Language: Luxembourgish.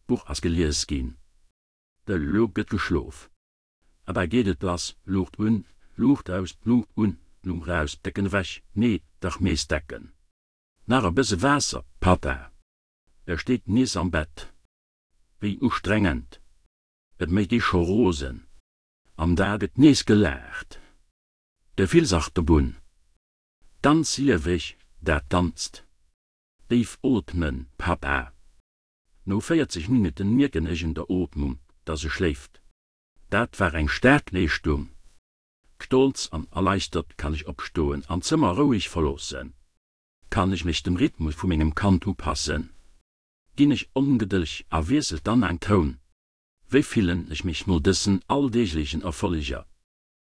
D'Buch ass gelies ginn. Elo gëtt geschlof. An da geet et lass, Luucht un, Luucht aus, Luucht un, Luucht aus, Decken ewech, nee, dach nees Decken. Nach e bësse Waasser, Papa. E steet nees am Bett. Wéi ustrengend. Et mécht ee scho rosen. An da gëtt nees gelaacht. Gefillsachterbunn. Ganz lieweg, dat Ganzt. Déif ootmen, Papa. No 40 Minutten mierken ech un der Ootmung, dass e schléift. Dat war eng staark Leeschtung. Stolz an erleichtert kann ech opstoen an d'Zëmmer roueg verloossen. Kann ech mech dem Rhythmus vu mengem Kand upassen? Ginn ech ongedëlleg a wiesselt dann en Toun? Wéi fillen ech mech no dësen alldeeglechen Erfolleger?